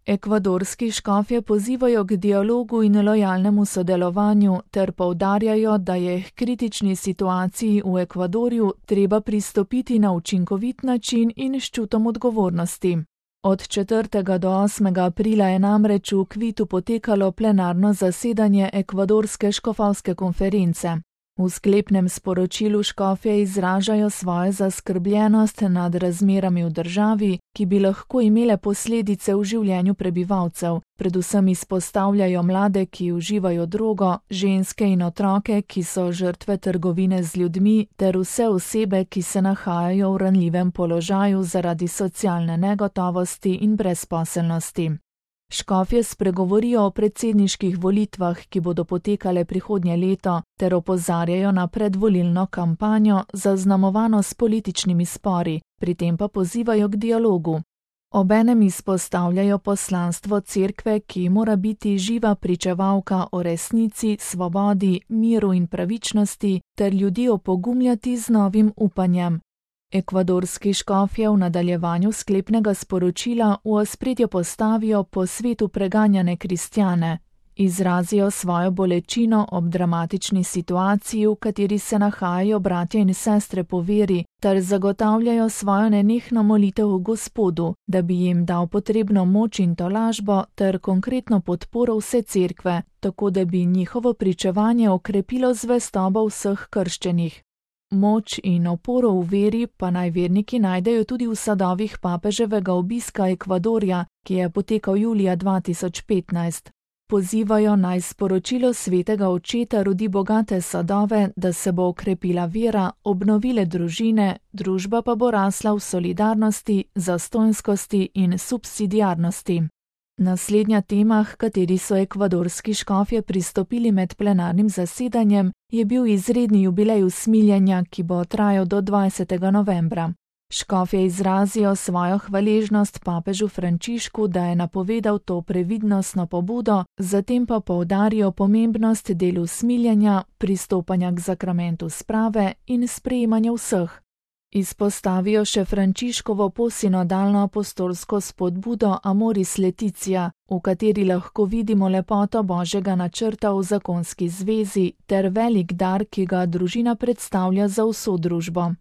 Ekvadorski škofje pozivajo k dialogu in lojalnemu sodelovanju ter poudarjajo, da je k kritični situaciji v Ekvadorju treba pristopiti na učinkovit način in s čutom odgovornosti. Od 4. do 8. aprila je namreč v Kvitu potekalo plenarno zasedanje ekvadorske škofovske konference. V sklepnem sporočilu škofje izražajo svojo zaskrbljenost nad razmerami v državi, ki bi lahko imele posledice v življenju prebivalcev, predvsem izpostavljajo mlade, ki uživajo drogo, ženske in otroke, ki so žrtve trgovine z ljudmi, ter vse osebe, ki se nahajajo v ranljivem položaju zaradi socialne negotovosti in brezposelnosti. Škofje spregovorijo o predsedniških volitvah, ki bodo potekale prihodnje leto, ter opozarjajo na predvolilno kampanjo, zaznamovano s političnimi spori, pri tem pa pozivajo k dialogu. Obenem izpostavljajo poslanstvo cerkve, ki mora biti živa pričevalka o resnici, svobodi, miru in pravičnosti, ter ljudi opogumljati z novim upanjem. Ekvadorski škofje v nadaljevanju sklepnega sporočila v ospredje postavijo po svetu preganjane kristjane, izrazijo svojo bolečino ob dramatični situaciji, v kateri se nahajajo bratje in sestre po veri, ter zagotavljajo svojo nenehno molitev v Gospodu, da bi jim dal potrebno moč in tolažbo ter konkretno podporo vse cerkve, tako da bi njihovo pričevanje okrepilo zvestobo vseh krščenih. Moč in oporo v veri pa naj verniki najdejo tudi v sadovih papeževega obiska Ekvadorja, ki je potekal julija 2015. Pozivajo naj sporočilo svetega očeta rodi bogate sadove, da se bo okrepila vera, obnovile družine, družba pa bo rasla v solidarnosti, zastonjskosti in subsidiarnosti. Naslednja tema, h kateri so ekvadorski škofje pristopili med plenarnim zasedanjem, je bil izredni jubilej usmiljenja, ki bo trajal do 20. novembra. Škofje izrazijo svojo hvaležnost papežu Frančišku, da je napovedal to previdnostno pobudo, zatem pa poudarijo pomembnost del usmiljenja, pristopanja k zakramentu sprave in sprejemanja vseh. Izpostavijo še Frančiškovo posinodalno apostolsko spodbudo Amoris Laetitia, v kateri lahko vidimo lepoto Božjega načrta v zakonski zvezi ter velik dar, ki ga družina predstavlja za vso družbo.